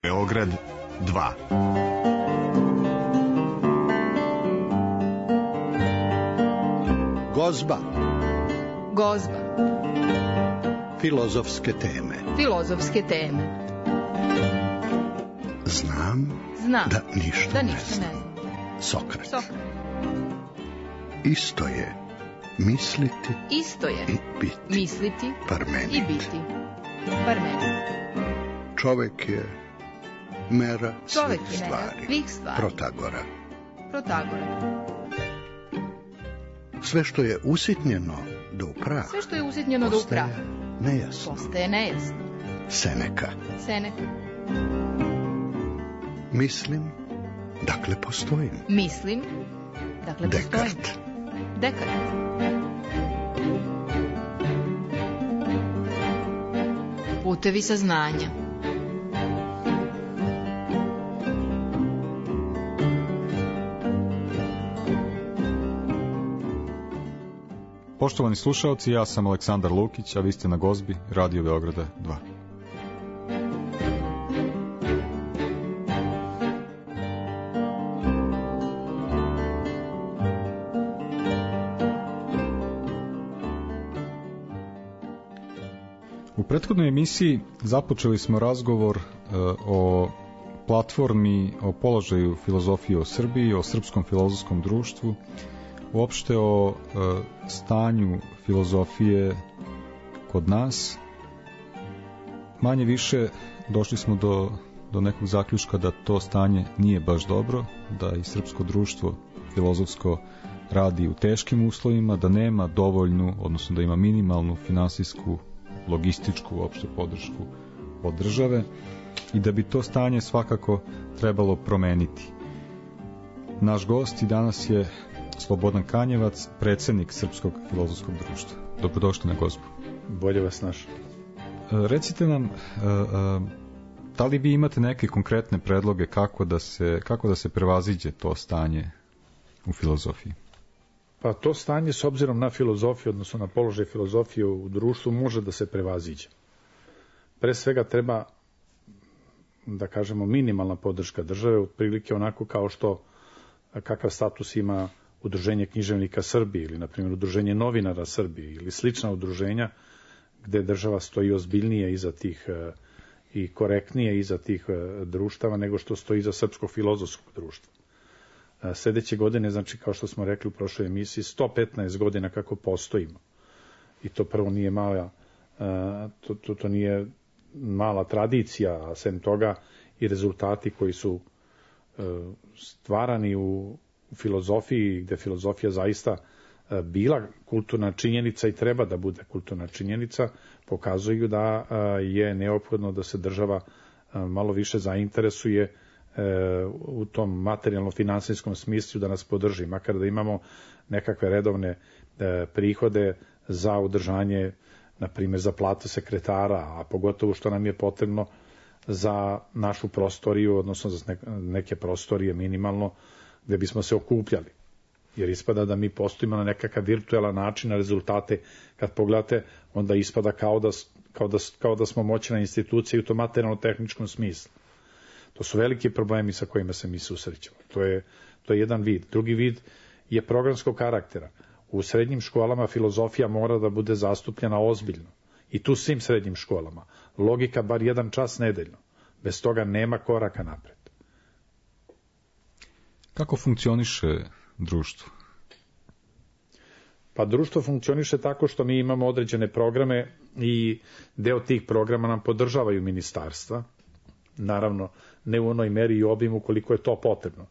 Beograd 2. Gozba. Gozba. Filozofske teme. Filozofske teme. Znam da ništa ne znam. Sokrat. Isto je misliti i biti. Misliti Parmenid. i biti. Parmenid. Čovek je mera Čovek svih je mera stvari. svih stvari. Protagora. Sve što je usitnjeno do upraha. Sve što je usitnjeno do upraha. Nejasno. Postaje nejasno. Seneka. Mislim, dakle postojim. Mislim, dakle postojim. Dekart. Putevi saznanja. Poštovani slušaoci, ja sam Aleksandar Lukić, a vi ste na Gozbi, Radio Beograda 2. U prethodnoj emisiji započeli smo razgovor o platformi, o položaju filozofije u Srbiji, o srpskom filozofskom društvu, uopšte o stanju filozofije kod nas. Manje više došli smo do nekog zaključka da to stanje nije baš dobro, da i srpsko društvo filozofsko radi u teškim uslovima, da nema dovoljnu, odnosno da ima minimalnu finansijsku, logističku uopšte podršku od države i da bi to stanje svakako trebalo promeniti. Naš gost i danas je Slobodan Kanjevac, predsednik Srpskog filozofskog društva. Dobrodošli na Gozbu. Bolje vas našao. Recite nam, da li vi imate neke konkretne predloge kako da se prevaziđe to stanje u filozofiji? Pa to stanje s obzirom na filozofiju, odnosno na položaj filozofije u društvu, može da se prevaziđe. Pre svega treba, da kažemo, minimalna podrška države, otprilike onako kao što kakav status ima Udruženje književnika Srbije ili, na primjer, Udruženje novinara Srbije ili slična udruženja gde država stoji ozbiljnije iza tih i korektnije iza tih društava nego što stoji iza Srpskog filozofskog društva. Sledeće godine, znači, kao što smo rekli u prošloj emisiji, 115 godina kako postojimo. I to prvo nije mala, to nije mala tradicija, a sem toga i rezultati koji su stvarani u filozofiji, gde filozofija zaista bila kulturna činjenica i treba da bude kulturna činjenica, pokazuju da je neophodno da se država malo više zainteresuje u tom materijalno-finansijskom smislu da nas podrži, makar da imamo nekakve redovne prihode za održanje, na primjer za platu sekretara, a pogotovo što nam je potrebno za našu prostoriju, odnosno za neke prostorije minimalno, gde bismo se okupljali. Jer ispada da mi postojimo na nekakav virtualan način, na rezultate kad pogledate, onda ispada kao da smo moćna institucija u tom materijalno-tehničkom smislu. To su veliki problemi sa kojima se mi susrećemo. To je jedan vid. Drugi vid je programskog karaktera. U srednjim školama filozofija mora da bude zastupljena ozbiljno. I tu svim srednjim školama. Logika bar 1 čas nedeljno. Bez toga nema koraka napred. Kako funkcioniše društvo? Pa društvo funkcioniše tako što mi imamo određene programe i deo tih programa nam podržavaju ministarstva. Naravno, ne u onoj meri i obimu koliko je to potrebno.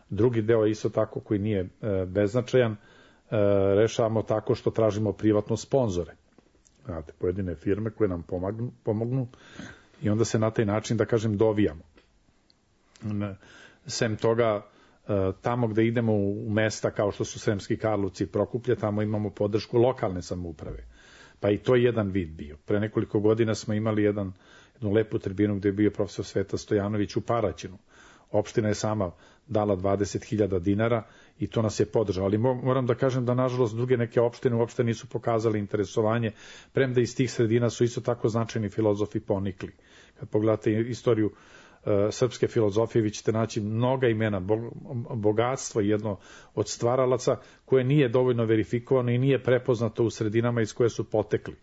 Drugi deo je isto tako koji nije beznačajan, rešavamo tako što tražimo privatno sponzore. Znate, pojedine firme koje nam pomognu i onda se na taj način, da kažem, dovijamo. Sem toga, tamo gde idemo u mesta kao što su Sremski Karlovci i Prokuplje, tamo imamo podršku lokalne samouprave. Pa i to je jedan vid bio. Pre nekoliko godina smo imali jednu lepu tribinu gde je bio profesor Sveta Stojanović u Paraćinu. Opština je sama dala 20.000 dinara i to nas je podržalo. Ali moram da kažem da, nažalost, druge neke opštine uopšte nisu pokazali interesovanje, premda iz tih sredina su isto tako značajni filozofi ponikli. Kad pogledate istoriju srpske filozofije vi ćete naći mnoga imena, bogatstvo, jedno od stvaralaca koje nije dovoljno verifikovano i nije prepoznato u sredinama iz koje su potekli.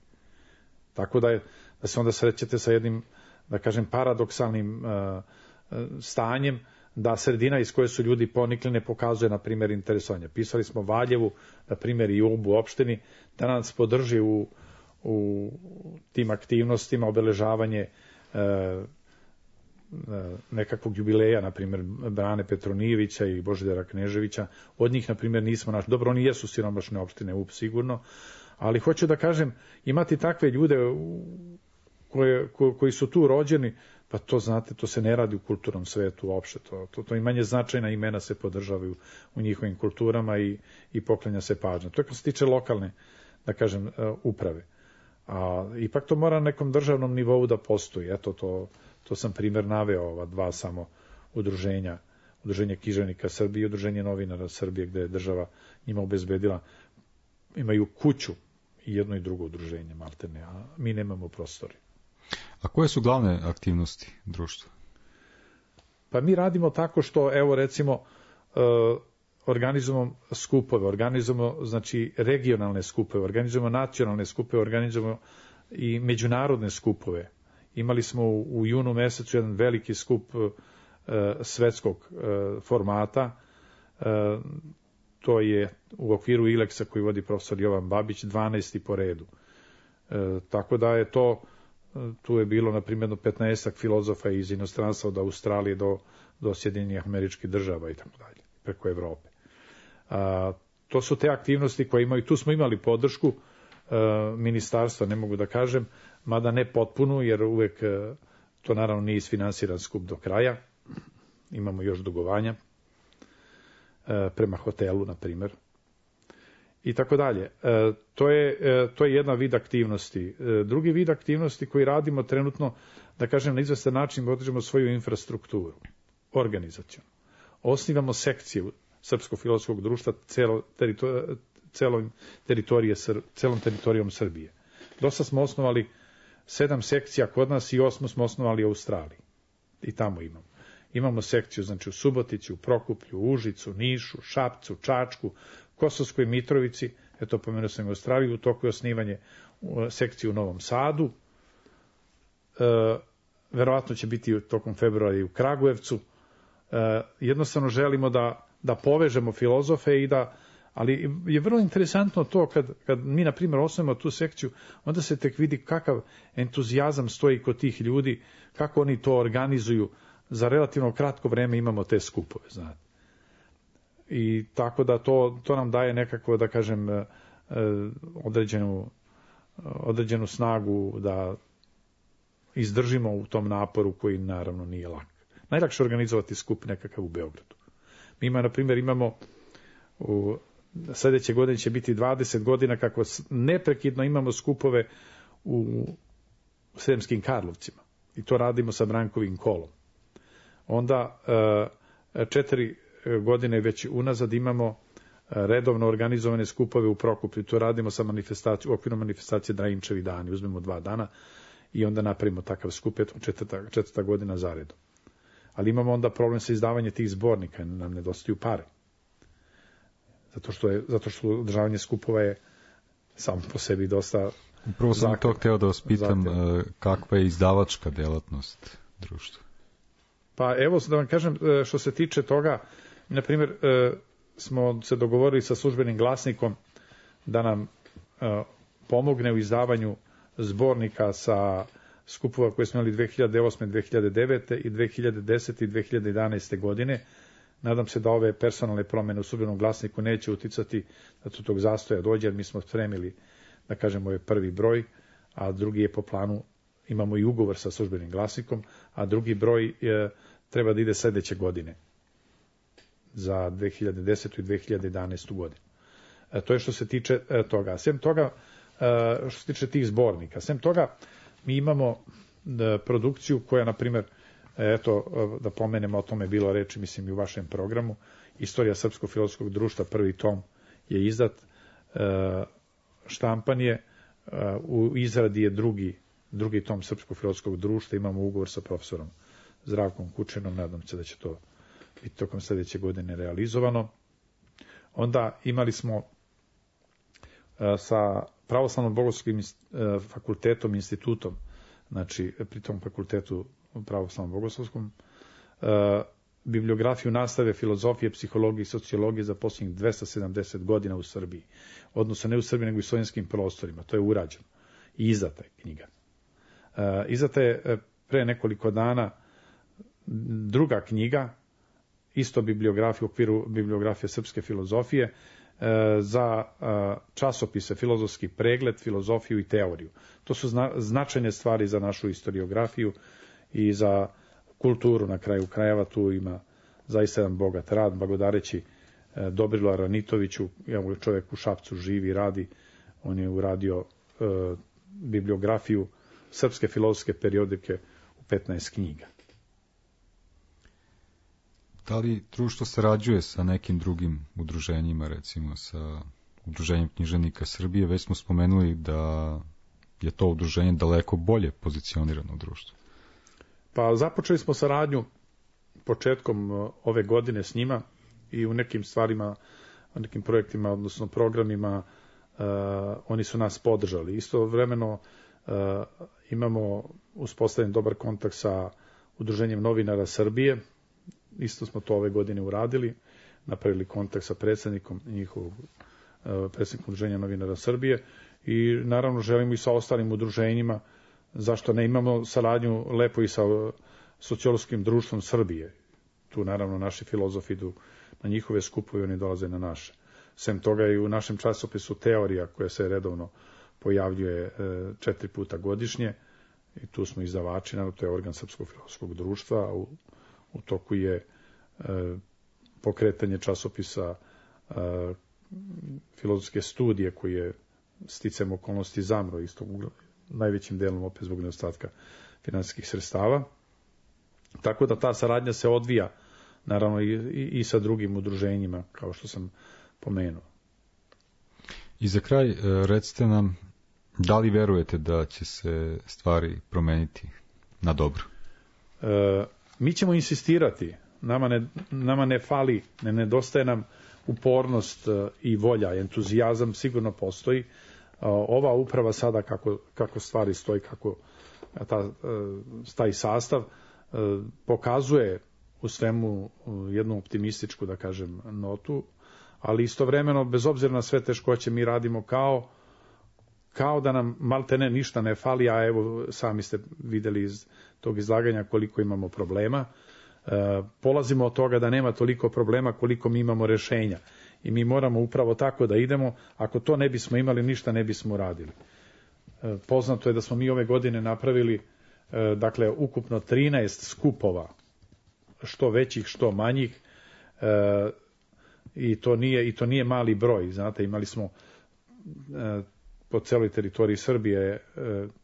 Tako da se onda srećete sa jednim, da kažem, paradoksalnim stanjem, da sredina iz koje su ljudi ponikli ne pokazuje, na primjer, interesovanje. Pisali smo Valjevu, na primjer, i Ubu opštini, da nas podrži u tim aktivnostima, obeležavanje nekakvog jubileja, na primjer, Brane Petronijevića i Božidara Kneževića. Od njih, na primjer, nismo našli. Dobro, oni jesu siromašne opštine, Ub sigurno, ali hoću da kažem, imati takve ljude koji su tu rođeni, pa to, znate, to se ne radi u kulturnom svetu uopšte. To i manje značajna imena se podržavaju u njihovim kulturama i poklanja se pažnja. To je kad se tiče lokalne, da kažem, uprave. A ipak to mora na nekom državnom nivou da postoji. Eto, to sam primjer naveo, ova dva samo udruženja. Udruženje književnika Srbije i Udruženje novinara Srbije, gde je država njima obezbedila, imaju kuću i jedno i drugo udruženje, maltene, a mi nemamo prostori. A koje su glavne aktivnosti društva? Pa mi radimo tako što, evo recimo, organizujemo skupove, organizujemo, znači, regionalne skupove, organizujemo nacionalne skupove, organizujemo i međunarodne skupove. Imali smo u junu mesecu jedan veliki skup svetskog formata, to je u okviru ILEX-a koji vodi profesor Jovan Babić, 12. po redu. Tako da je to, tu je bilo, na primjer, 15 filozofa iz inostranstva od Australije do Sjedinjenih Američkih Država i tako dalje, preko Evrope. To su te aktivnosti koje imaju, tu smo imali podršku ministarstva, ne mogu da kažem, mada ne potpunu, jer uvek to naravno nije isfinansiran skup do kraja, imamo još dugovanja prema hotelu, na primjer, i tako dalje. To je jedna vid aktivnosti. Drugi vid aktivnosti koji radimo trenutno, da kažem, na izvestan način održimo svoju infrastrukturu, organizacijonu. Osnivamo sekciju Srpskog filozofskog društva celom teritorijom Srbije. Dosta smo osnovali 7 sekcija kod nas i 8 smo osnovali u Australiji. I tamo imamo. Imamo sekciju, znači, u Subotici, u Prokuplju, u Užicu, Nišu, Šapcu, Čačku, Kosovskoj Mitrovici, eto, pomenuo sam u Australiji, u toku je osnivanje sekcije u Novom Sadu, verovatno će biti tokom februara i u Kragujevcu. Jednostavno želimo da povežemo filozofe ali je vrlo interesantno to kad mi, na primjer, osnovimo tu sekciju, onda se tek vidi kakav entuzijazam stoji kod tih ljudi, kako oni to organizuju. Za relativno kratko vreme imamo te skupove, znate. I tako da to nam daje nekako, da kažem, određenu snagu da izdržimo u tom naporu koji naravno nije lak. Najlakše organizovati skup nekakav u Beogradu. Mi, na primjer, imamo sljedeće godine će biti 20 godina kako neprekidno imamo skupove u Sremskim Karlovcima. I to radimo sa Brankovim kolom. Onda 4 godine već unazad imamo redovno organizovane skupove u Prokuplju. To radimo sa u okviru manifestacije Drajinčevi dani. Uzmemo 2 dana i onda napravimo takav skup, četvrta godina zaredom. Ali imamo onda problem sa izdavanjem tih zbornika, nam nedostaju pare. Zato što održavanje skupova je samo po sebi dosta... Upravo sam to hteo da vas pitam, kakva je izdavačka delatnost društva? Pa evo da vam kažem, što se tiče toga, na primjer, smo se dogovorili sa Službenim glasnikom da nam pomogne u izdavanju zbornika sa skupova koje smo imali 2008. 2009. i 2010. i 2011. godine. Nadam se da ove personalne promjene u Službenom glasniku neće uticati da do tog zastoja dođe, jer mi smo spremili, da kažemo, ovaj prvi broj, a drugi je po planu, imamo i ugovor sa Službenim glasnikom, a drugi broj treba da ide sljedeće godine za 2010. i 2011. godinu. To je što se tiče toga. Sem toga, što se tiče tih zbornika, sem toga mi imamo produkciju koja, na primjer, eto, da pomenemo, o tome je bilo reči, mislim, i u vašem programu, Istorija Srpskog filozofskog društva, prvi tom je izdat, štampan je, u izradi je drugi tom Srpskog filozofskog društva, imamo ugovor sa profesorom Zdravkom Kučinom, nadam se da će to biti tokom sljedeće godine realizovano. Onda imali smo sa Pravoslavnom bogoslovskim fakultetom, institutom, znači pri tom fakultetu Pravoslavnom bogoslovskom, bibliografiju nastave filozofije, psihologije i sociologije za posljednjih 270 godina u Srbiji. Odnosno ne u Srbiji, nego i u slovenskim prostorima. To je urađeno. I izdata je knjiga. Izdata je pre nekoliko dana druga knjiga, isto bibliografija u okviru bibliografije srpske filozofije, za časopise Filozofski pregled, filozofiju i teoriju. To su značajne stvari za našu historiografiju i za kulturu na kraju krajeva. Tu ima zaista jedan bogat rad, blagodareći Dobrilu Aranitoviću, čovjek u Šapcu živi i radi, on je uradio bibliografiju srpske filozofske periodike u 15 knjiga. Da li društvo sarađuje sa nekim drugim udruženjima, recimo sa Udruženjem književnika Srbije? Već smo spomenuli da je to udruženje daleko bolje pozicionirano u društvu. Pa započeli smo saradnju početkom ove godine s njima i u nekim stvarima, u nekim projektima, odnosno programima, oni su nas podržali. Istovremeno imamo uspostavljen dobar kontakt sa Udruženjem novinara Srbije. Isto smo to ove godine uradili, napravili kontakt sa predsjednikom njihovog, predsjednikom Udruženja novinara Srbije i naravno želimo i sa ostalim udruženjima, zašto ne, imamo saradnju lepo i sa Sociološkim društvom Srbije. Tu naravno naši filozofi idu na njihove skupove, oni dolaze na naše. Sem toga i u našem časopisu Teorija, koja se redovno pojavljuje 4 puta godišnje, i tu smo izdavači, naravno to je organ Srpskog filozofskog društva, a u toku je pokretanje časopisa filozofske studije, koji je sticajem okolnosti zamro, isto najvećim delom opet zbog nedostatka finansijskih sredstava. Tako da ta saradnja se odvija naravno i sa drugim udruženjima, kao što sam pomenuo. I za kraj, recite nam, da li verujete da će se stvari promeniti na dobro? Mi ćemo insistirati. Nama ne fali, ne nedostaje nam upornost i volja, entuzijazam sigurno postoji. Ova uprava sada kako stvari stoji, kako taj sastav pokazuje u svemu jednu optimističku, da kažem, notu, ali istovremeno, bez obzira na sve teškoće, mi radimo kao da nam maltene ništa ne fali, a evo sami ste videli iz tog izlaganja koliko imamo problema. Polazimo od toga da nema toliko problema koliko mi imamo rešenja. I mi moramo upravo tako da idemo. Ako to ne bismo imali, ništa ne bismo radili. Poznato je da smo mi ove godine napravili dakle ukupno 13 skupova, što većih, što manjih, i to nije mali broj. Znate, imali smo po celoj teritoriji Srbije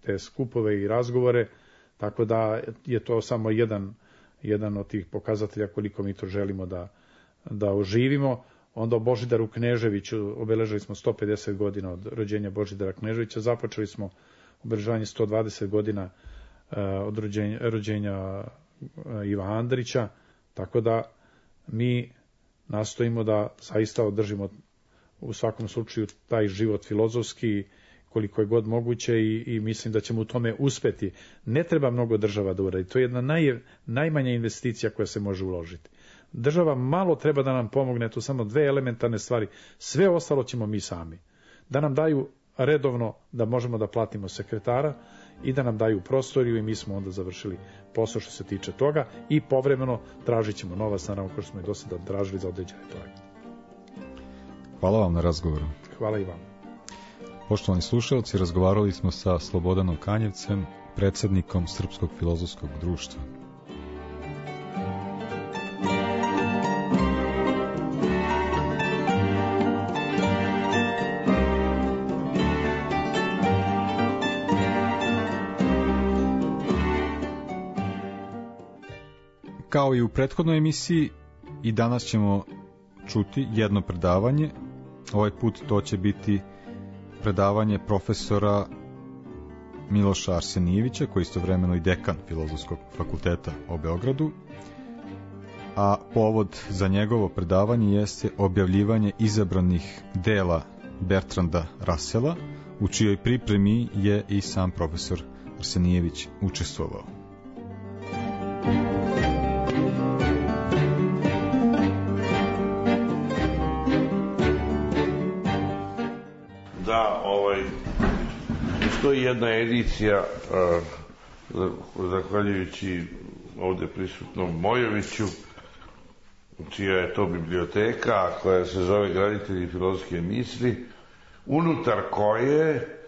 te skupove i razgovore, tako da je to samo jedan od tih pokazatelja koliko mi to želimo da oživimo. Onda o Božidaru Kneževiću obeležili smo 150 godina od rođenja Božidara Kneževića, započeli smo obeležavanje 120 godina od rođenja Iva Andrića, tako da mi nastojimo da zaista održimo u svakom slučaju taj život filozofski koliko je god moguće i mislim da ćemo u tome uspeti. Ne treba mnogo država da uradi, to je jedna najmanja investicija koja se može uložiti. Država malo treba da nam pomogne, to samo 2 elementarne stvari, sve ostalo ćemo mi sami. Da nam daju redovno da možemo da platimo sekretara i da nam daju prostoriju i mi smo onda završili posao što se tiče toga i povremeno tražit ćemo novac, naravno kao što smo i do sada tražili za određene projekte. Hvala vam na razgovoru. Hvala i vam. Poštovani slušalci, razgovarali smo sa Slobodanom Kanjevcem, predsjednikom Srpskog filozofskog društva. Kao i u prethodnoj emisiji, i danas ćemo čuti jedno predavanje. Ovaj put to će biti predavanje profesora Miloša Arsenijevića, koji je istovremeno i dekan Filozofskog fakulteta u Beogradu, a povod za njegovo predavanje jeste objavljivanje izabranih dela Bertranda Russella, u čijoj pripremi je i sam profesor Arsenijević učestvovao. Da, postoji jedna edicija, zahvaljujući ovde prisutnom Mojoviću, čija je to biblioteka, koja se zove Graditelji filozofske misli, unutar koje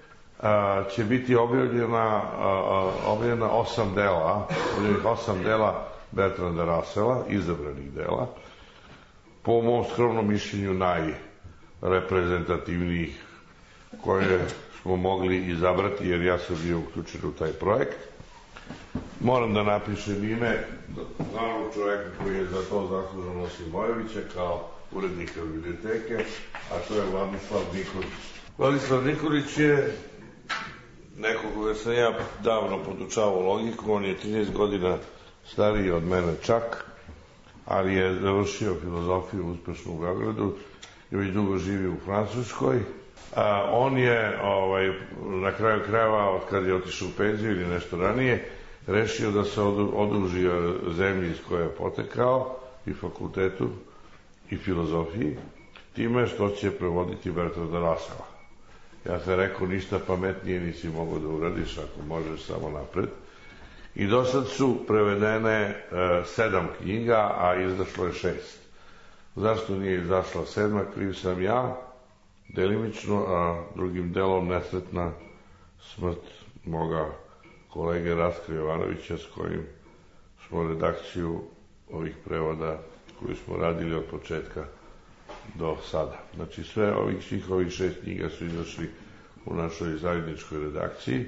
će biti objavljena 8 dela, objavljenih 8 dela Bertranda Russella, izabranih dela, po mom skromnom mišljenju najreprezentativnijih koje smo mogli izabrati, jer ja sam bio uključen u taj projekt. Moram da napišem ime glavnog čoveka koji je za to zaslužan osim Mojovića kao urednika biblioteke, a to je Vladislav Nikolić. Vladislav Nikolić je neko koga sam ja davno podučavao logiku, on je 13 godina stariji od mene čak, ali je završio filozofiju uspešno u Beogradu i već dugo živi u Francuskoj. On je na kraju krajeva, od kad je otišao u penziju ili nešto ranije, rešio da se oduži zemlji iz koje je potekao, i fakultetu i filozofiji, time što će prevoditi Bertranda Russella. Ja sam rekao, ništa pametnije nisi mogao da uradiš ako možeš samo napred. I do sad su prevedene 7 knjiga, a izašlo je 6. Zašto nije izašla 7? Kriv sam ja, delimično, a drugim delom nesretna smrt moga kolege Rastka Jovanovića, s kojim smo redakciju ovih prevoda koju smo radili od početka do sada. Znači svih ovih 6 knjiga su izašli u našoj zajedničkoj redakciji.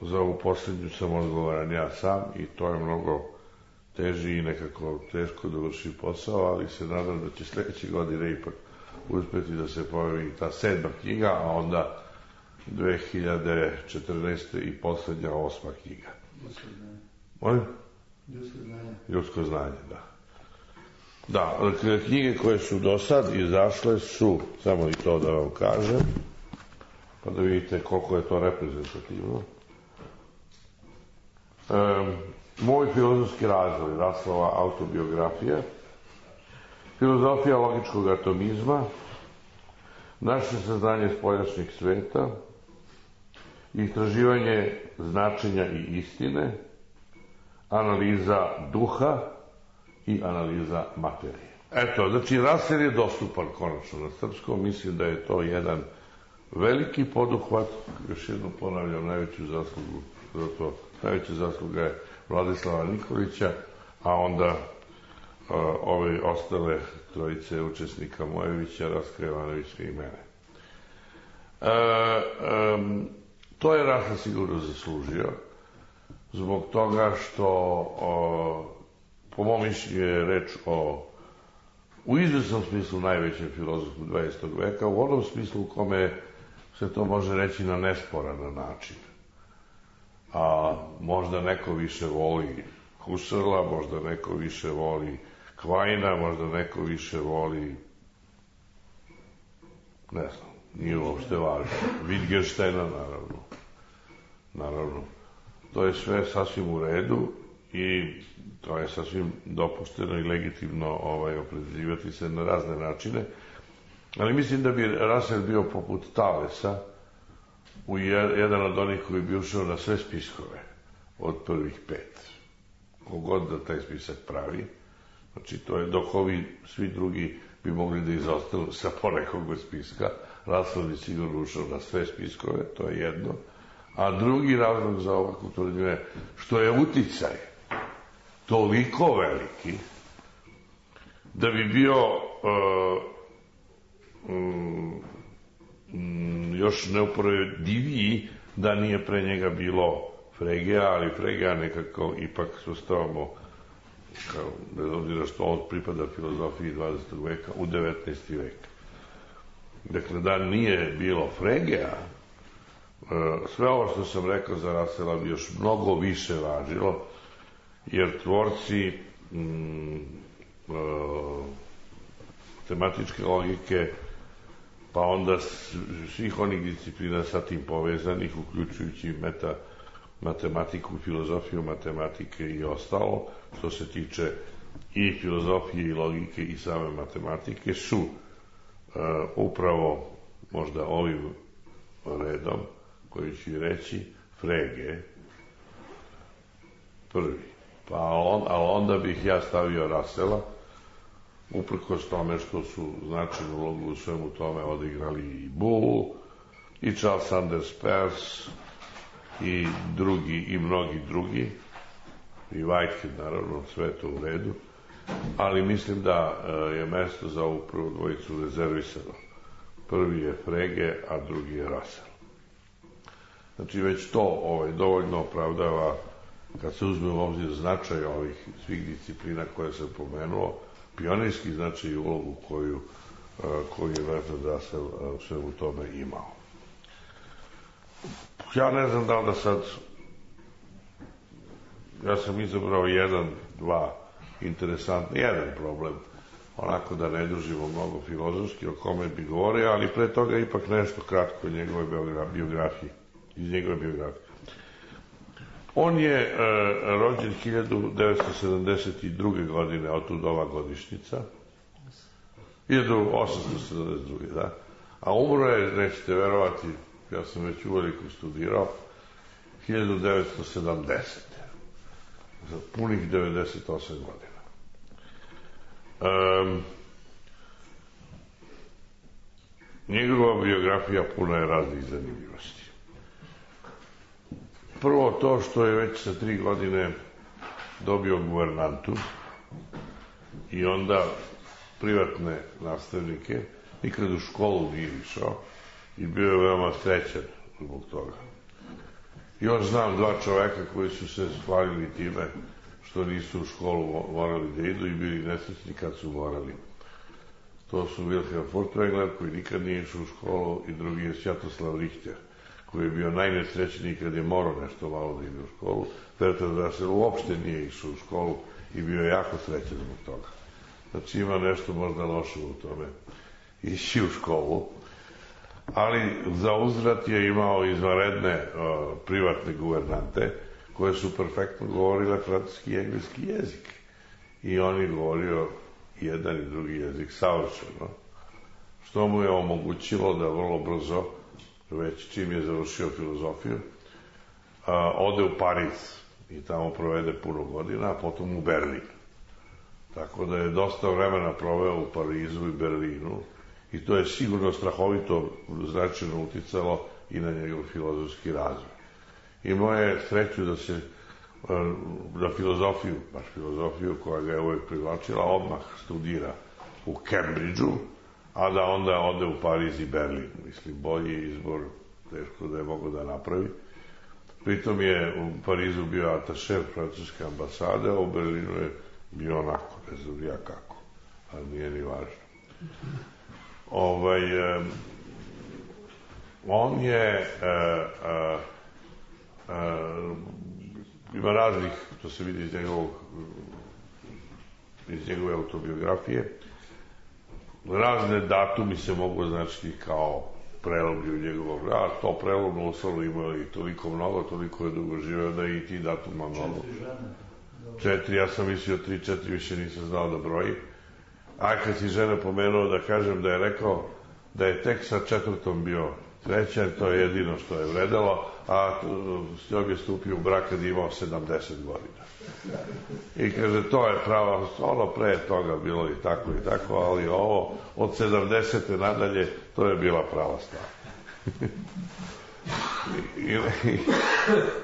Za ovu posljednju sam odgovoran ja sam i to je mnogo teži i nekako teško dovrši posao, ali se nadam da će sledeće godine ipak uspeti da se pojavi ta 7. knjiga, a onda 2014. i poslednja 8. knjiga. Ljudsko znanje. Molim? Ljudsko znanje. Ljudsko znanje, da. Da, knjige koje su do sad izašle su, samo i to da vam kažem, pa da vidite koliko je to reprezentativno. Moj filozofski razvoj, Russellova autobiografija, filozofija logičkog atomizma, naše saznanje spoljašnjeg sveta, istraživanje značenja i istine, analiza duha i analiza materije. Eto, znači Russell je dostupan konačno na srpskom, mislim da je to jedan veliki poduhvat, još jednom ponavljam, najveću zaslugu za to, najveća zasluga je Vladislava Nikolića, a onda ove ostale trojice učesnika Mojevića, Rastka Jovanovića i mene. To je Russell sigurno zaslužio, zbog toga što po mom mišljenju je reč u izvesnom smislu najvećem filozofu 20. veka, u onom smislu u kome se to može reći na nesporan način. A možda neko više voli Husserla, možda neko više voli Quina, možda neko više voli, ne znam, nije uopšte važno, Wittgensteina, naravno. To je sve sasvim u redu i to je sasvim dopušteno i legitimno opredeljivati se na razne načine, ali mislim da bi Russell bio poput Talesa, jedan od onih koji bi ušao na sve spiskove od prvih 5. Kogod da taj spisak pravi, znači to je dok ovi svi drugi bi mogli da izostanu sa ponekog spiska, Russell bi sigurno ušao na sve spiskove, to je jedno. A drugi razlog za ovakvu tvrdnju je što je uticaj toliko veliki da bi bio još neuporediviji da nije pre njega bilo Fregeja, ali Fregeja nekako ipak sustavamo, bez obzira što on pripada filozofiji 20. veka, u 19. vek. Dakle, da nije bilo Fregeja, sve ovo što sam rekao za Russella bi još mnogo više važilo, jer tvorci tematičke logike, pa onda svih onih disciplina sa tim povezanih, uključujući matematiku, filozofiju matematike i ostalo, što se tiče i filozofije i logike i same matematike, su upravo možda ovim redom, koji ću reći, Frege prvi. Ali onda bih ja stavio Russella, uprkos tome što su značajnu ulogu u svemu tome odigrali i Boole, i Charles Sanders Peirce, i drugi, i mnogi drugi, i Whitehead, naravno, sve to u redu, ali mislim da je mesto za ovu prvu dvojicu rezervisano. Prvi je Frege, a drugi je Russell. Znači, već to dovoljno opravdava, kad se uzme u obzir značaj ovih svih disciplina koje sam pomenuo, pionirski značaj i ulogu koju je Bertrand Russell sve u tome imao. Ja ne znam da li da sad, ja sam izabrao dva interesantni, jedan problem, onako da ne dužimo mnogo filozofski o kome bi govorio, ali pre toga ipak nešto kratko iz njegove biografije. On je rođen 1972. godine, otud ova godišnjica, 1872. da, a umro je, nećete verovati, ja sam već uveliko studirao, 1970. Za punih 98 godina. Njegova biografija puna je raznih zanimljivosti. Prvo to što je već sa 3 godine dobio guvernantu i onda privatne nastavnike, nikad u školu nije išao i bio je veoma srećan zbog toga. Još znam 2 čoveka koji su se hvalili time što nisu u školu morali da idu i bili nesrećni kad su morali. To su Wilhelm Furtwängler, koji nikad nije išao u školu, i drugi je Svjatoslav Richter, koji je bio najnesrećniji kad je morao nešto malo da ide u školu. Bertrand Russell uopšte nije išao u školu i bio je jako srećan zbog toga. Znači ima nešto možda loše u tome ići u školu, ali za uzvrat je imao izvanredne privatne guvernante koje su perfektno govorile francuski i engleski jezik. I on je govorio jedan i drugi jezik savršeno, što mu je omogućilo da vrlo brzo, već čim je završio filozofiju, ode u Pariz i tamo provede puno godina, a potom u Berlin. Tako da je dosta vremena proveo u Parizu i Berlinu i to je sigurno strahovito značajno uticalo i na njegov filozofski razvoj. Imao je sreću da se na filozofiju, baš filozofiju koja ga je uvijek privlačila, odmah studira u Cambridgeu, a da onda ode u Pariz i Berlin. Mislim, bolji izbor teško da je mogo da napravi. Pritom je u Parizu bio atašer francuske ambasade, a u Berlinu je bio onako, ne znam ja kako, ali nije ni važno. On je ima raznih, to se vidi iz njegove autobiografije, razne datumi se mogu označiti kao prelomi u njegovog rada. To prelomno Usalu imao i toliko mnogo, toliko je dugo živeo da i ti datuma mnogo. 4, ja sam mislio 3, 4, više nisam znao da broji. A kad si žena pomenuo, da kažem da je rekao da je tek sa 4. bio srećan, to je jedino što je vredelo, a s njom je stupio u brak kad je imao 70 godina. I kaže, to je pravo, ono pre toga bilo i tako, ali ovo od 70. nadalje, to je bila prava stvar.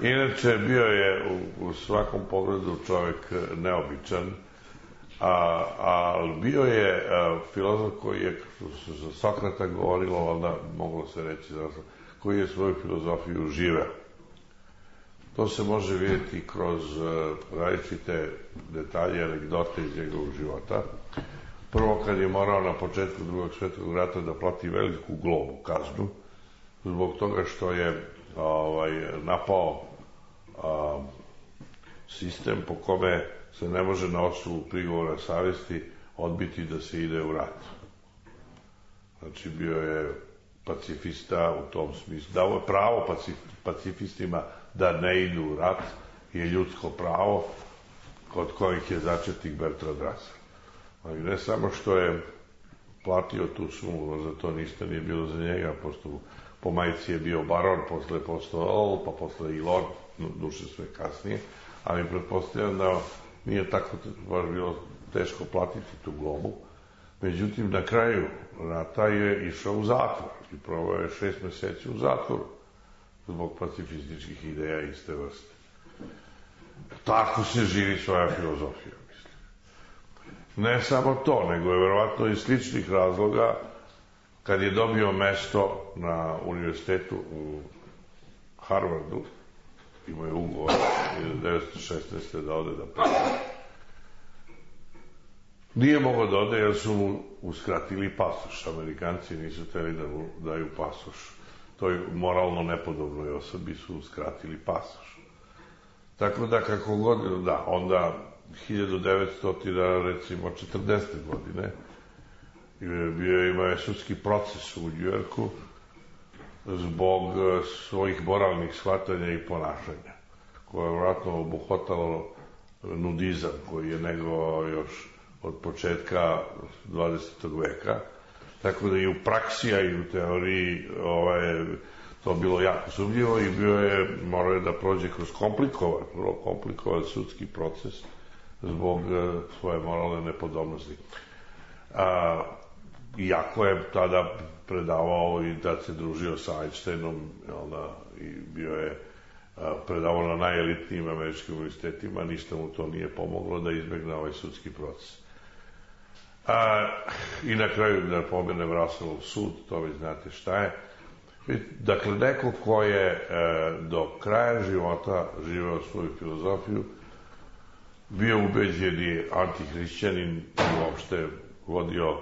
Inače, bio je u svakom pogledu čovjek neobičan, ali bio je filozof koji je, što se za Sokrata govorilo, onda moglo se reći, koji je svoju filozofiju živeo. To se može vidjeti kroz različite detalje, anegdote iz njegovog života. Prvo, kad je morao na početku Drugog svjetskog rata da plati veliku globu, kaznu, zbog toga što je napao sistem po kome se ne može na osnovu prigovora savesti odbiti da se ide u rat. Znači, bio je pacifista u tom smislu. Dao je pravo pacifistima da ne idu u rat, je ljudsko pravo kod kojih je začetnik Bertrand Russell. Ali ne samo što je platio tu sumu, za to ništa nije bilo za njega, pošto po majici je bio baron, posle je postao earl, pa posle i lord, duše sve kasnije, ali pretpostavljam da nije tako baš bilo teško platiti tu globu. Međutim, na kraju rata je išao u zatvor i proveo je 6 meseci u zatvoru zbog pacifističkih ideja iste vrste. Tako se živi svoja filozofija, mislim. Ne samo to, nego je verovatno iz sličnih razloga kad je dobio mesto na univerzitetu u Harvardu, imao je ugovor 1916. da ode da predaje. Nije mogao da ode jer su mu uskratili pasoš. Amerikanci nisu hteli da mu daju pasoš. Toj moralno nepodobnoj osobi su uskratili pasoš. Tako da kako god, da, onda 1900, recimo 40. godine, imao je sudski proces u Njujorku zbog svojih moralnih shvatanja i ponašanja, koje je vratno obuhvatalo nudizam koji je negovao još od početka 20. veka, tako da i u praksi, a i u teoriji to bilo jako sumnjivo i morao je da prođe kroz vrlo komplikovan sudski proces zbog svoje moralne nepodobnosti. Iako je tada predavao i da se družio sa Einsteinom, i bio je predavao na najelitnijim američkim univerzitetima, ništa mu to nije pomoglo da izbegne ovaj sudski proces. I na kraju da pomenem Russellov sud, to već znate šta je. Dakle, neko ko je do kraja života živeo svoju filozofiju, bio ubeđeni antihrišćanin i uopšte vodio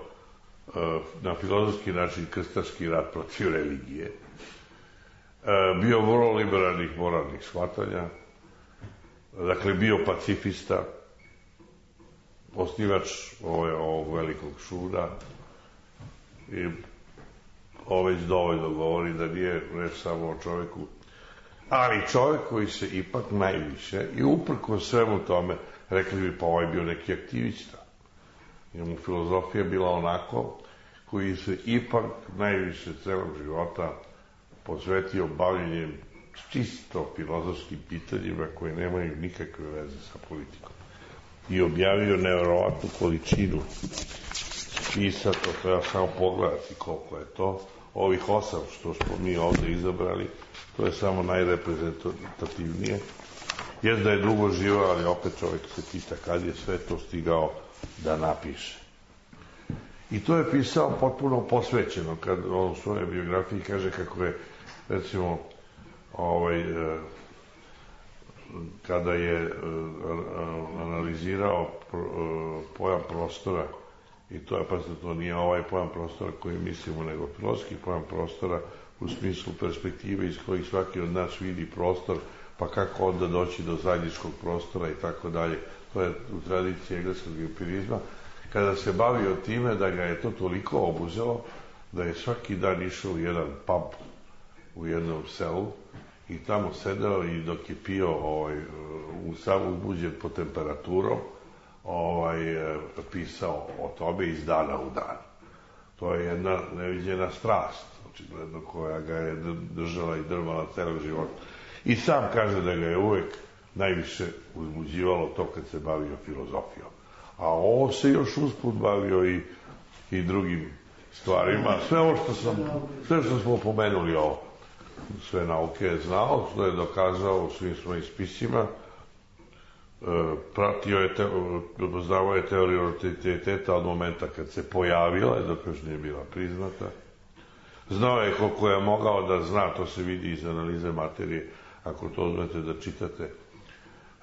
na filozofski način krstaški rat protiv religije. Bio vrlo liberalnih moralnih shvatanja, dakle bio pacifista, osnivač ovog velikog suda i ovo već dovoljno govori da nije reč samo o čoveku, ali čovek koji se ipak najviše i uprko svemu tome, rekli bi pa ovaj bio neki aktivista. Njemu filozofija bila onako koji se ipak najviše celog života posvetio bavljenjem čisto filozofskim pitanjima koje nemaju nikakve veze sa politikom. I objavio neverovatnu količinu spisa, to treba samo pogledati koliko je to. Ovih 8 što smo mi ovde izabrali, to je samo najreprezentativnije. Jest da je dugo živao, ali opet čovjek se pita kad je sve to stigao da napiše. I to je pisao potpuno posvećeno, kad on u svojoj biografiji kaže kako je, recimo, kada je analizirao pojam prostora, i to je, pazite, to nije ovaj pojam prostora koji mislimo, nego filozofski pojam prostora u smislu perspektive iz kojih svaki od nas vidi prostor, pa kako onda doći do zajedničkog prostora i tako dalje. To je u tradiciji engleskog empirizma. Kada se bavio time da ga je to toliko obuzelo, da je svaki dan išao u jedan pub u jednom selu i tamo sedao i dok je pio sam uzbuđen po temperaturom, pisao o tome iz dana u dan. To je jedna neviđena strast, očigledno, koja ga je držala i drmala celog života. I sam kaže da ga je uvek najviše uzbuđivalo to kad se bavio filozofijom. A ovo se još usput bavio i drugim stvarima. Sve što smo pomenuli ovo, sve nauke je znao, što je dokazao u svim svojim spisima, poznavao je teoriju relativiteta od momenta kad se pojavila, dok još nije bila priznata. Znao je koliko je mogao da zna, to se vidi iz analize materije, ako to uzmete da čitate.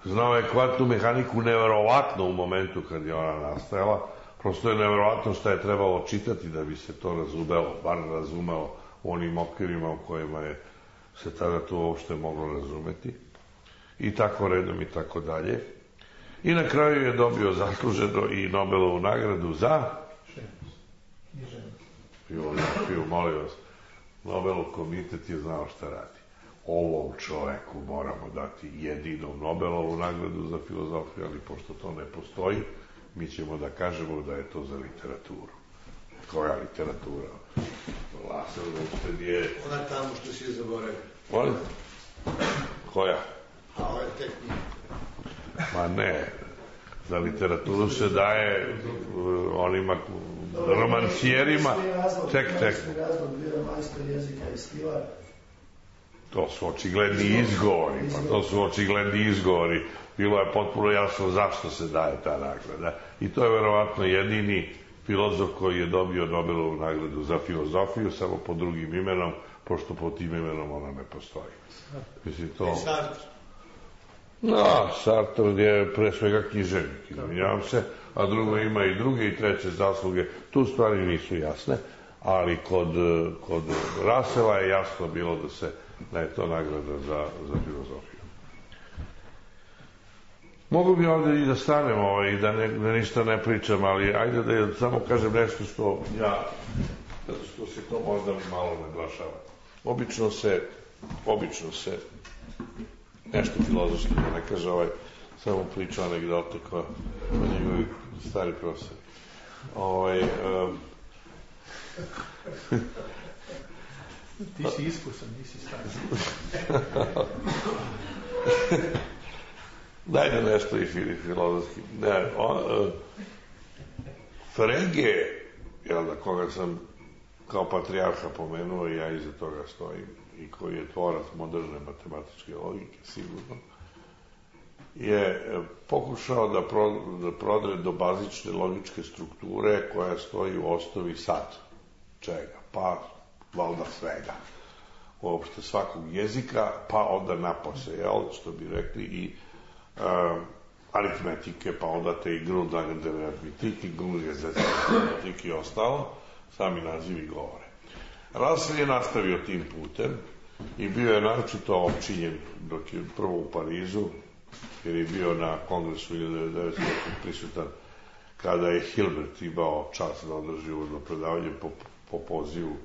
Znao je kvantnu mehaniku neverovatno u momentu kad je ona nastajala, prosto je neverovatno šta je trebalo čitati da bi se to razumelo, bar razumelo u onim okvirima u kojima je se tada to uopšte moglo razumeti. I tako redom i tako dalje. I na kraju je dobio zasluženo i Nobelovu nagradu za filozofiju, molim vas. Nobelov komitet je znao šta radi. Ovom čoveku moramo dati jedinom Nobelovu nagradu za filozofiju, ali pošto to ne postoji, mi ćemo da kažemo da je to za literaturu. Koja literatura? Lasel Rupsted je... Ona tamo što si je zaboravio. Molim? Koja? A ovo je tek... Ma ne, za literaturu se daje onima romancijerima. Tek. Razlog bio majstor jezika i stivar. To su očigledni izgovori. Bilo je potpuno jasno zašto se daje ta nagrada. I to je verovatno jedini filozof koji je dobio Nobelovu nagradu za filozofiju, samo pod drugim imenom, pošto pod tim imenom ona ne postoji. Mislim, to... Sartre je pre svega književnik, izvinjavam se, a drugo ima i druge i treće zasluge. Tu stvari nisu jasne, ali kod Russella je jasno bilo da je to nagrada za filozofiju. Mogu bi ovdje i da stanem i da ništa ne pričam, ali ajde da samo kažem nešto što se to možda malo naglašava. Obično se nešto filozofski, da ne kaže samo priča anegdote koja o njegovi stari profesori. Ti si iskusan, nisi stari. Dajde nešto i filozofski. Frege, koga sam kao patrijarha pomenuo i ja iza toga stojim, i koji je tvorac moderne matematičke logike, sigurno, je pokušao da prodre do bazične logičke strukture koja stoji u osnovi sad. Čega? Pa, valjda svega. Uopšte svakog jezika, pa onda napose, što bi rekli, i aritmetike, pa onda te i grundlagende aritmetike, grundlagende aritmetike i ostalo, sami nazivi govore. Russell je nastavio tim putem i bio je naročito opčinjen dok je prvo u Parizu, jer je bio na kongresu 1900 prisutan kada je Hilbert imao čast da održi uvodno predavanje po pozivu.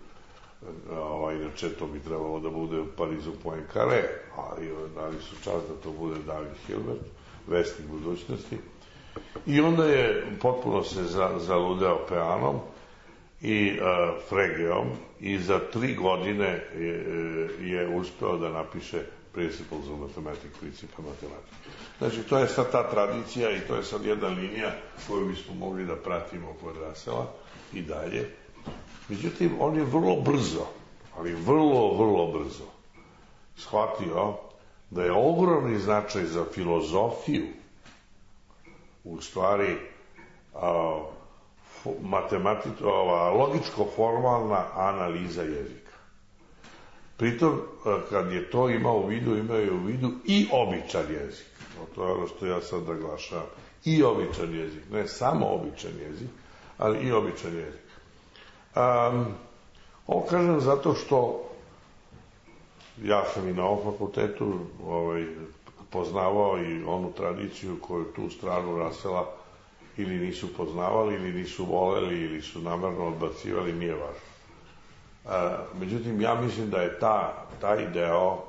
Inače to bi trebalo da bude u Parizu Poincaré, ali dali su čast da to bude David Hilbert, vestnik budućnosti. I onda je potpuno se zaludeo Peanom i Fregeom i za 3 godine je uspeo da napiše Principles of Mathematics, principa matematike. Znači, to je sad ta tradicija i to je sad jedna linija koju bismo mogli da pratimo kod Russella i dalje. Međutim, on je vrlo brzo, ali vrlo brzo shvatio da je ogromni značaj za filozofiju u stvari logičko-formalna analiza jezika. Pritom, kad je to imao u vidu i običan jezik. To je ono što ja sad naglašavam. I običan jezik. Ne samo običan jezik, ali i običan jezik. Ovo kažem zato što ja sam i na ovom fakultetu poznavao i onu tradiciju koju tu stranu Russella ili nisu poznavali, ili nisu voleli, ili su namerno odbacivali, nije važno. Međutim, ja mislim da je taj deo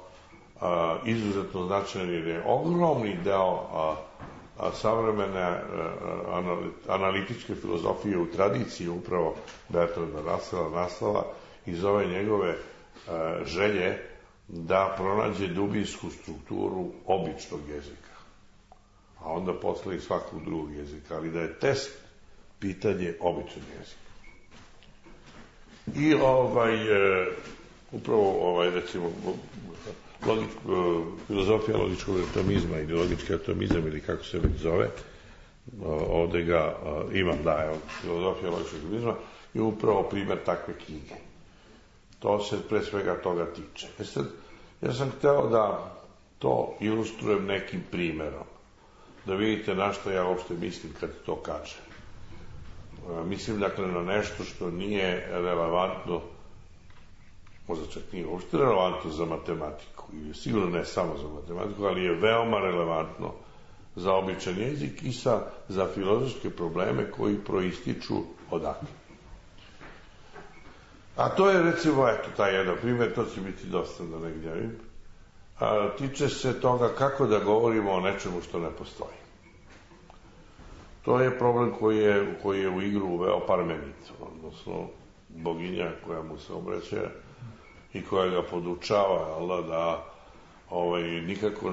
izuzetno značajan, jer je ogromni deo savremene analitičke filozofije u tradiciji upravo Bertranda Russella nastala iz ove njegove želje da pronađe dubinsku strukturu običnog jezika, a onda posle i svakog drugog jezika, ali da je test pitanje običnog jezika. I upravo recimo filozofija logičkog atomizma ili logički atomizam ili kako se već zove, ovde ga imam, filozofija logičkog atomizma je upravo primer takve knjige. To se pre svega toga tiče. Ja sam hteo da to ilustrujem nekim primerom, da vidite na što ja uopšte mislim kad to kažem. Mislim dakle na nešto što nije relevantno možda čak nije uopšte relevantno za matematiku, ili sigurno ne samo za matematiku, ali je veoma relevantno za običan jezik i za filozofske probleme koji proističu odatle. A to je, recimo, eto, taj jedan primjer, to će biti dosta da ne gnjavim, tiče se toga kako da govorimo o nečemu što ne postoji. To je problem koji je u igru uveo Parmenid, odnosno boginja koja mu se obraća i koja ga podučava da nikako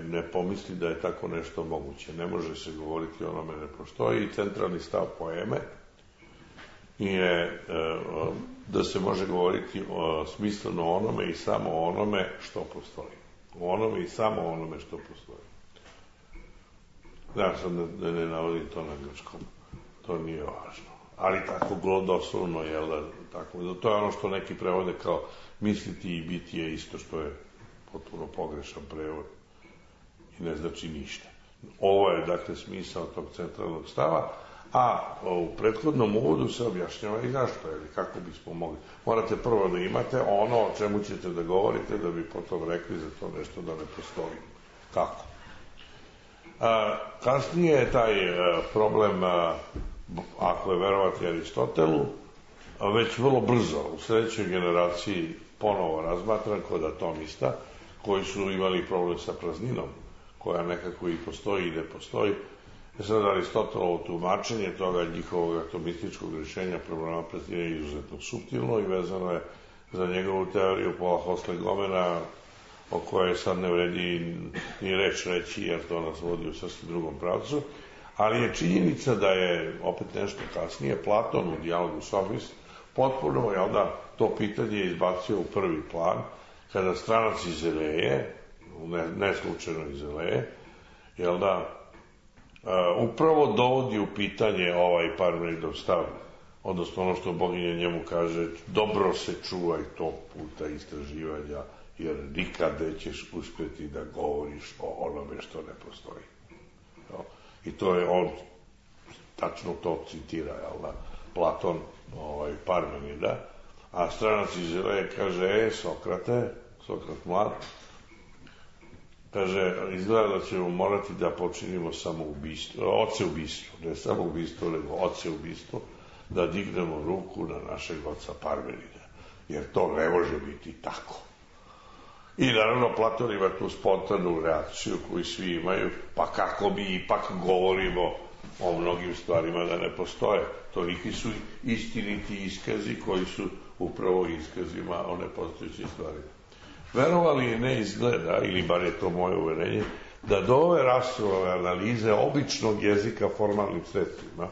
ne pomisli da je tako nešto moguće. Ne može se govoriti o onome ne postoji i centralni stav poeme je da se može govoriti smisleno o onome i samo o onome što postoji. O onome i samo o onome što postoji. Ja sad ne navodim to na grčkom, to nije važno. Ali tako doslovno, tako, to je ono što neki prevode kao misliti i biti je isto, što je potpuno pogrešan prevod i ne znači ništa. Ovo je, dakle, smisao tog centralnog stava, a u prethodnom uvodu se objašnjava i zašto, ili kako bismo mogli. Morate prvo da imate ono o čemu ćete da govorite, da bi potom rekli za to nešto da ne postoji. Kako? Kasnije je taj problem, ako je verovati Aristotelu, već vrlo brzo u sledećoj generaciji ponovo razmatran kod atomista, koji su imali problem sa prazninom, koja nekako i postoji i ne postoji. Sad Aristotelovo tumačenje toga njihovog atomističkog rješenja problema praznine je izuzetno suptilno i vezano je za njegovu teoriju Paula Hossler-Gomena, o kojoj sad ne vredi ni reći, jer to nas vodi u sasvim drugom pravcu, ali je činjenica da je, opet nešto kasnije, Platon u dijalogu Sofist potpuno je onda to pitanje izbacio u prvi plan, kada stranac iz Eleje, ne slučajno iz Eleje, upravo dovodi u pitanje ovaj Parmenidov stav, odnosno ono što boginja njemu kaže, dobro se čuvaj tog puta istraživanja, jer nikad nećeš uspjeti da govoriš o onome što ne postoji. I to je on, tačno to citira, Platon, Parmenida, a stranac iz Eleje kaže, Sokrat mlad, kaže, izgleda da ćemo morati da počinimo odseubistvo, ne samo ubistvo, nego odseubistvo, da dignemo ruku na našeg oca Parmenida, jer to ne može biti tako. I naravno Platon ima tu spontanu reakciju koju svi imaju, pa kako mi ipak govorimo o mnogim stvarima da ne postoje. Toliki su istiniti iskazi koji su upravo iskazima o nepostojećim stvarima. Verovali ne izgleda, ili bar je to moje uverenje, da do ove rasove analize običnog jezika formalnim sredstvima,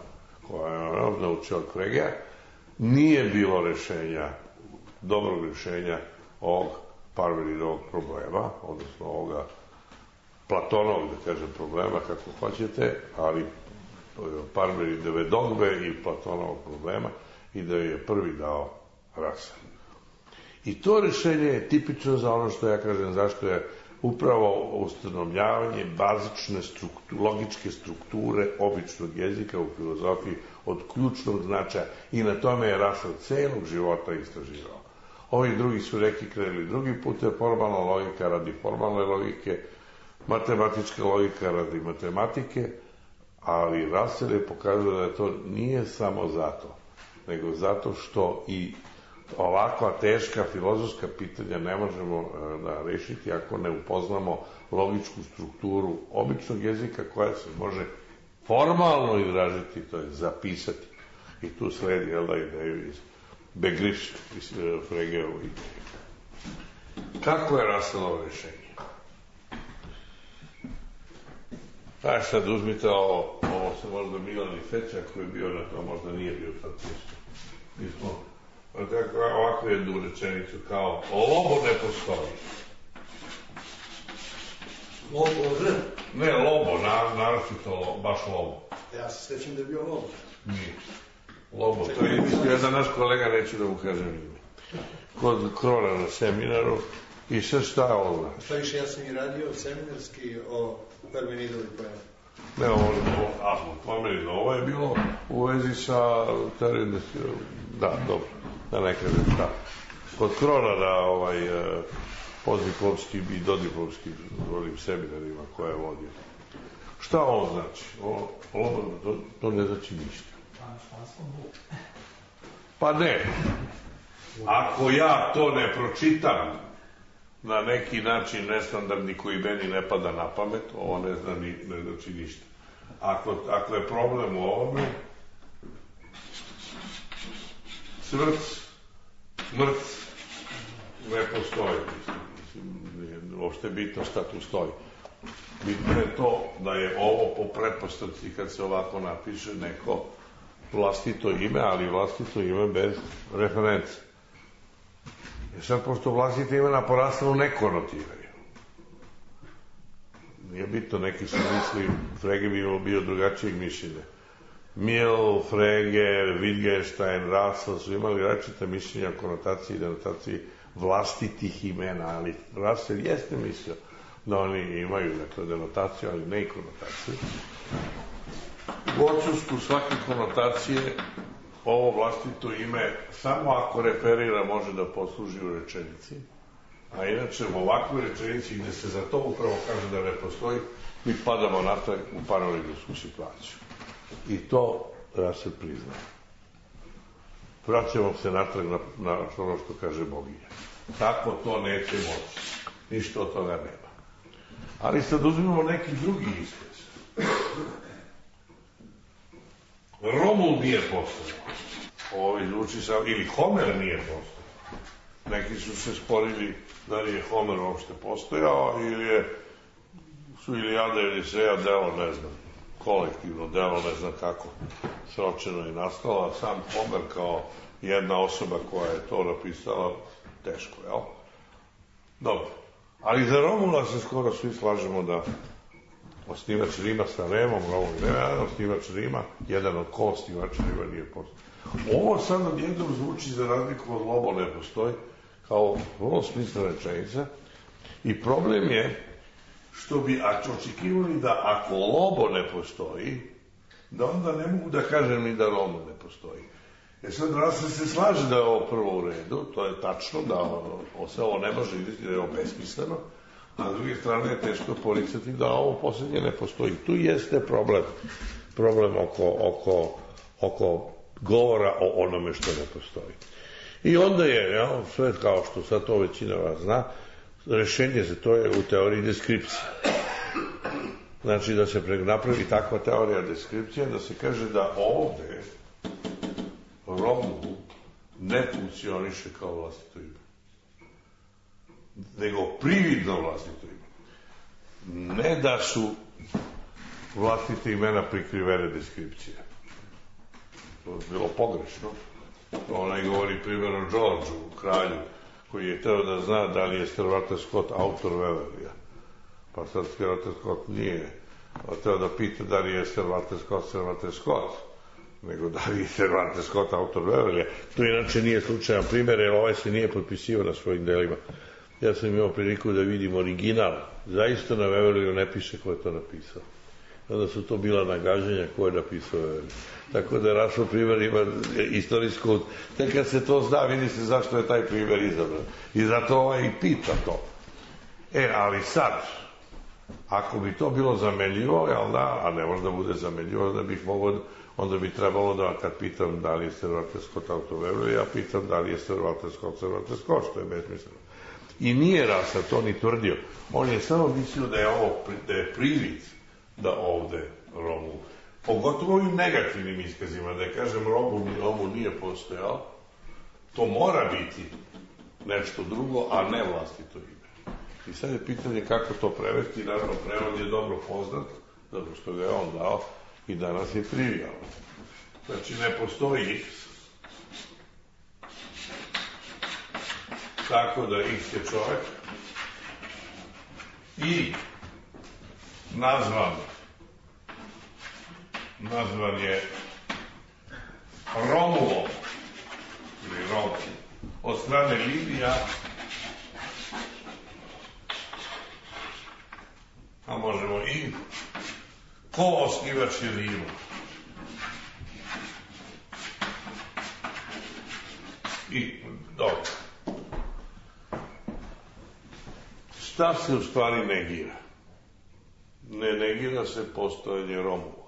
koja je naučio od Fregeja, nije bilo dobrog rješenja ovog Parmenidovog problema, odnosno ovoga Platonovog, da kažem, problema, kako hoćete, ali Parmenidove dogme i Platonovog problema, i da je prvi dao Russell. I to rješenje je tipično za ono što ja kažem, zašto je upravo ustanovljavanje bazične logičke strukture običnog jezika u filozofiji od ključnog značaja, i na tome je Russell celog života istraživao. Ovi drugi su krenuli drugi put, je formalna logika radi formalne logike, matematička logika radi matematike, ali Russell je pokazao da to nije samo zato, nego zato što i ovakva teška filozofska pitanja ne možemo da rešiti ako ne upoznamo logičku strukturu običnog jezika koja se može formalno izražiti, to je zapisati. I tu sledi ideju iz Begriffs, iz Fregeovu ideju. Kako je Russellovo rešenje? Sad uzmite ovo se možda Milan i Feča koji je bio na to, možda nije bio sad tisto. Mi smo ovakvu jednu rečenicu kao lobo ne postoji. Lobo, ne lobo, naročito baš lobo. Ja se svećam da je bio lobo. Nije. Lobo, to je jedan naš kolega, neću da mu kažem ime. Kod Krona na seminaru i sve šta je ovo? Šta više, ja sam i radio seminarski o Parmenidovi poemi. Ne, ovo je bilo u vezi sa teorijom, da, dobro, da ne kažem šta. kod Kronara postdiplomski i dodiplomski volim seminarima koje je vodio. Šta on znači? To ne znači ništa. Pa ne. Ako ja to ne pročitam na neki način nestandardni koji meni ne pada na pamet, ovo ne znači ništa. Ako je problem u ovome, smrt ne postoji. Nije uopšte bitno šta tu stoji. Bitno je to da je ovo po pretpostavci kad se ovako napiše neko vlastito ime, ali vlastito ime bez reference. I sad, pošto vlastito imena porastano ne konotiraju. Nije bitno, neki su misli, Frege bi bio drugačijeg mišljenja. Mill, Frege, Wittgenstein, Russell su imali različite mišljenja o konotaciji i denotaciji vlastitih imena, ali Russell jeste mislio da oni imaju denotaciju, ali ne i konotaciju. U odsustvu svake konotacije ovo vlastito ime samo ako referira može da posluži u rečenici, a inače u ovakvoj rečenici gde se za to upravo kaže da ne postoji, mi padamo natrag u paraleljsku situaciju. I to Russell priznaje. Vraćamo se natrag na ono što kaže boginja. Tako to neće moći. Ništa od toga nema. Ali sad uzmimo neki drugi iskaz. Romul nije postojao. Ovo zvuči sam, ili Homer nije postojao. Neki su se sporili da li je Homer uopšte postojao ili su Ilijada i Odiseja delo, ne znam, kolektivno delo, ne znam kako sročeno i nastalo, a sam Homer kao jedna osoba koja je to napisala, teško, jel? Dobro. Ali za Romula se skoro svi slažemo da osnivač Rima sa Remom, Romul ne, osnivač Rima, jedan od ko-osnivača Rima nije postojao. Ovo sad odjednom zvuči za razliku od Lobo ne postoji, kao vrlo smislena rečenica, i problem je što bi očekivali da ako Lobo ne postoji, da onda ne mogu da kažem ni da Romul ne postoji. Sad Russell se slaže da je ovo prvo u redu, to je tačno, da se ovo ne može vidjeti, da je ovo besmisleno, a s druge strane je teško poricati da ovo posljednje ne postoji. Tu jeste problem oko govora o onome što ne postoji. I onda je, sve kao što sad to većina vas zna, rešenje za to je u teoriji deskripcije. Znači da se napravi takva teorija deskripcije, da se kaže da ovde Romul ne funkcioniše kao vlastito ime, nego prividno vlastito ime. Ne da su vlastite imena prikrivene deskripcije. To je bilo pogrešno. Ona i govori primjer o Georgeu, kralju, koji je teo da zna da li je Sir Walter Scott autor Waverleya. Pa sad Sir Walter Scott nije teo da pita da li je Sir Walter Scott, nego da li je Sir Walter Scott autor Waverleya. To inače nije slučajan primjer, jer ovaj se nije potpisivao na svojim delima. Ja sam imao priliku da vidim original. Zaista na Waverleyu ne piše ko je to napisao. Onda su to bila nagađanja ko je napisao Waverley. Tako da Russell primjer ima istorijsku... Tek kad se to zna, vidi se zašto je taj primjer izabran. I zato ovaj i pita to. Ali sad, ako bi to bilo zamenljivo, jel da, a ne može da bude zamenljivo, onda bi trebalo da, kad pitam da li je Sir Walter Scott autor Waverleya, ja pitam da li je Sir Walter Scott, što je besmisleno. I nije Russell to ni tvrdio. On je samo mislio da je privid da ovde Romul, pogotovo ovim negativnim iskazima, da je kažem Romul nije postojao, to mora biti nešto drugo, a ne vlastito ime. I sad je pitanje kako to prevesti, naravno prevod je dobro poznat, zato što ga je on dao i danas je trivialno. Znači ne postoji X, tako da X je čovek i nazvan je Romulom ili Romul od strane Livija, a možemo i ko-osnivač je Rima. I dobro. šta se u stvari negira? Ne negira se postojanje Romova.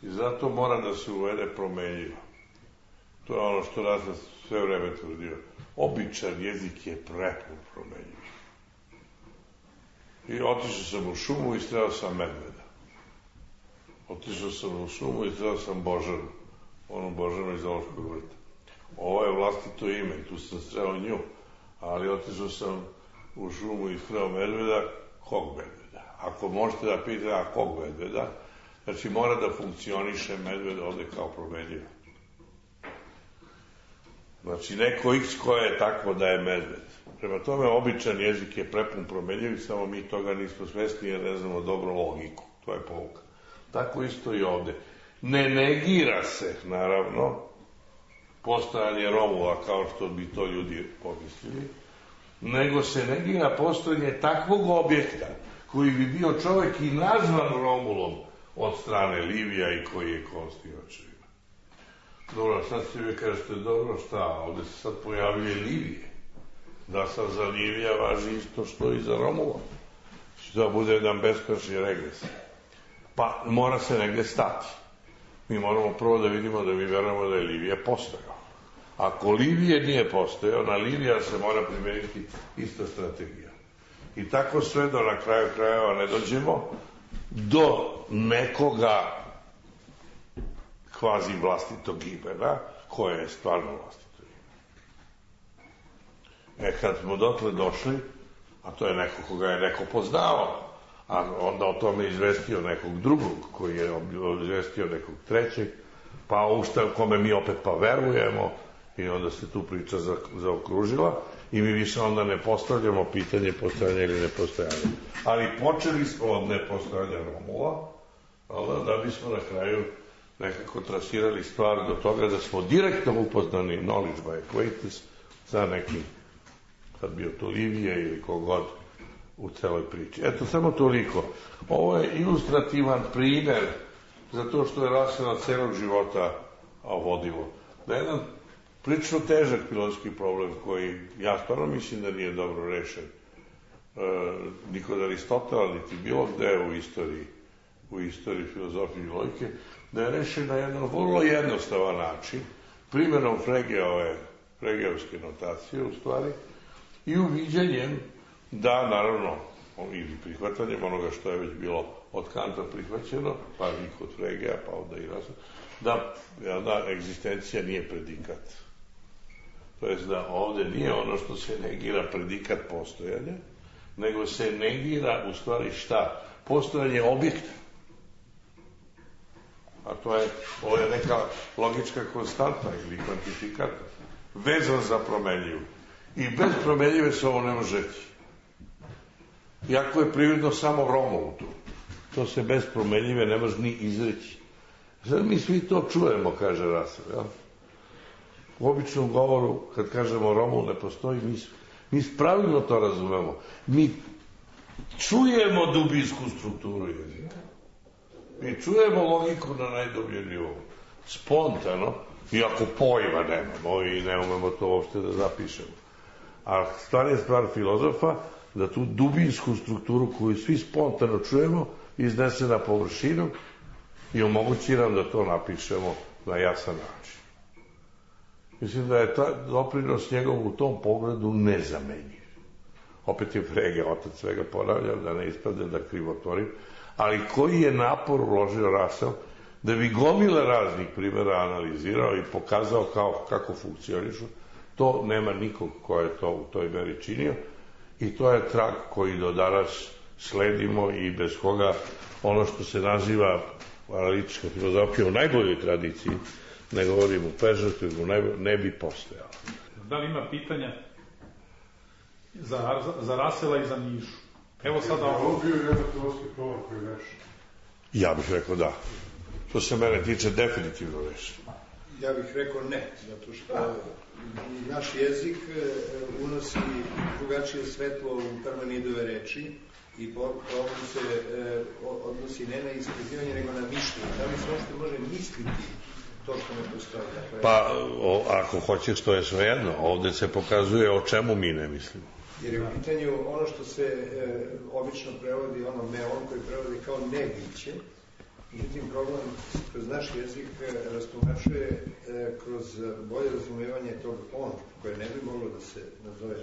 I zato mora da se uvede promenljivo. To je ono što Rasa sve vreme tvrdio. Običan jezik je prepun promenljiv. I otišao sam u šumu i sreo sam medveda. Otišao sam u šumu i sreo sam Božanu. Onu Božanu iz Zoološkog vrta. Ovo je vlastito ime, tu sam sreo nju. Ali otišao sam u šumu i sreo medveda, kog medveda? Ako možete da pitate, a kog medveda? Znači mora da funkcioniše medved ovde kao promenljiv. Znači neko x koje je takvo da je medved. Prema tome, običan jezik je prepun promenljiv, samo mi toga nismo svesni jer ne znamo dobro logiku. To je pouka. Tako isto i ovde. Ne negira se, naravno, postojanje Romova, kao što bi to ljudi pomislili, nego se negira postojanje takvog objekta koji bi bio čovek i nazvan Romulom od strane Livija i koji je konstivač. Dobro, sad se vi kažete, dobro, šta, ovde se sad pojavljuje Livije. Da sad za Livija važi isto što i za Romula. Da bude jedan beskonačni regres. Pa mora se negde stati. Mi moramo prvo da vidimo da mi verujemo da je Livija postojao. Ako Livije nije postojao, na Livija se mora primeniti ista strategija. I tako sve do na kraju krajeva ne dođemo do nekoga kvazi vlastitog imena, koje je stvarno vlastito ime. Kad smo dotle došli, a to je neko koga je neko poznao, a onda o tome izvestio nekog drugog, koji je izvestio nekog trećeg, pa ušta kome mi opet pa verujemo, i onda se tu priča zaokružila, i mi više onda ne postavljamo pitanje postojanja ili nepostojanja. Ali počeli smo od nepostojanja Romula, da bismo na kraju nekako trasirali stvar do toga da smo direktno upoznani knowledge by acquaintance sa nekim, sad bio to Livije ili kogod u celoj priči. Eto, samo toliko. Ovo je ilustrativan primer za to što je Rasela celog života vodilo. Da je jedan prilično težak filozofski problem koji ja stvarno mislim da nije dobro rešen. Ni kod Aristotela, niti bilo gde u istoriji filozofije i logike, da je rešen na jedan vrlo jednostavan način, primjenom Fregeovske notacije u stvari, i uviđanjem da, naravno, ili prihvatanjem onoga što je već bilo od Kanta prihvaćeno, pa i kod Fregea, pa onda i Rasela, da egzistencija nije predikat. To jest da ovde nije ono što se negira predikat postojanja, nego se negira u stvari šta? Postojanje objekta. A ovo je neka logička konstanta ili kvantifikator, vezan za promenljivu. I bez promenljive se ovo ne može reći. Iako je prirodno samo Romul tu. To se bez promenljive ne može ni izreći. Sad mi svi to čujemo, kaže Rasel, jel? U običnom govoru, kad kažemo Romul ne postoji, mi pravilno to razumemo. Mi čujemo dubinsku strukturu jezika. Mi čujemo logiku na najdubljem nivou. Spontano, iako pojma nemamo i ne umemo to uopšte da zapišemo. A stvar je stvar filozofa da tu dubinsku strukturu koju svi spontano čujemo iznese na površinu i omogući nam da to napišemo na jasan način. Mislim da je doprinos njegov u tom pogledu nezamenjiv. Opet je Frege, otac svega, ponavljam, da ne ispadne da krivotvorim, ali koji je napor uložio Rasel da bi gomile raznih primjera analizirao i pokazao kako funkcionišu, to nema nikog ko je to u toj meri činio i to je trag koji do danas sledimo i bez koga ono što se naziva analitička filozofija u najboljoj tradiciji, ne govorim u pežorativu, ne bi postojalo. Da li ima pitanja za Rasela i za Mišu? Evo sada ovo bio jedan filozofski problem koji je rešen. Ja bih rekao da. To se mene tiče definitivno rešen. Ja bih rekao ne, zato što naš jezik unosi drugačije svetlo u Parmenidove reči i problem se odnosi ne na ispitivanje, nego na mišljenje. Da li se uopšte može misliti to što ne postoji? Pa, ako hoćeš, to je svejedno. Ovde se pokazuje o čemu mi ne mislimo. Jer je u pitanju ono što se obično prevodi, ono meon koji prevodi kao nebiće. Međutim, problem kroz naš jezik rastumačuje kroz bolje razumevanje tog on, koje ne bi moglo da se nazove,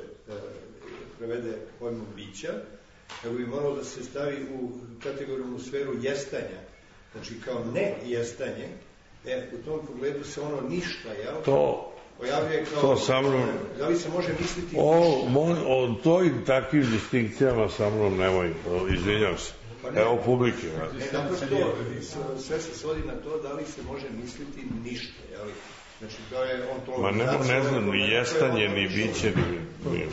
prevede pojmom bića, nego bi moralo da se stavi u kategorijnu sferu jestanja. Znači, kao ne jestanje, u tom pogledu se ono ništa, jel? Pojavljuje kao... To sa mnom... Da li se može misliti... O toj takvim distinkcijama sa mnom nemoj, izvinjam se. Evo publike. Naprosto, sve se svodi na to da li se može misliti ništa, jel? Znači, to je ontologizacija... Ma ne znam, ni jestanje, ni biće, ni...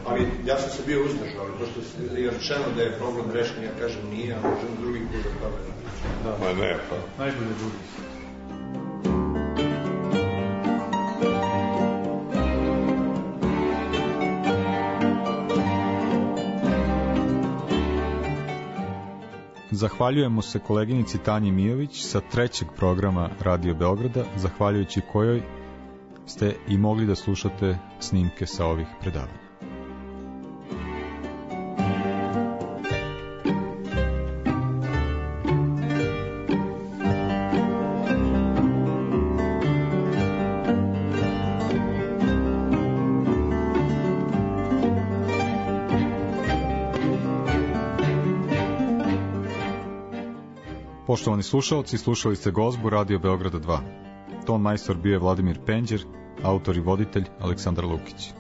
Ali ja sam se bio uzdržao, ali pošto je rečeno da je problem rešen, ja kažem nije, a možem drugi put da tome napričam. Ma ne, pa... Najbolje drugi. Zahvaljujemo se koleginici Tanji Mijović sa 3. programa Radio Beograda, zahvaljujući kojoj ste i mogli da slušate snimke sa ovih predavanja. Poštovani slušalci, slušali ste Gozbu Radio Beograda 2. Ton majstor bio je Vladimir Penđer, autor i voditelj Aleksandar Lukić.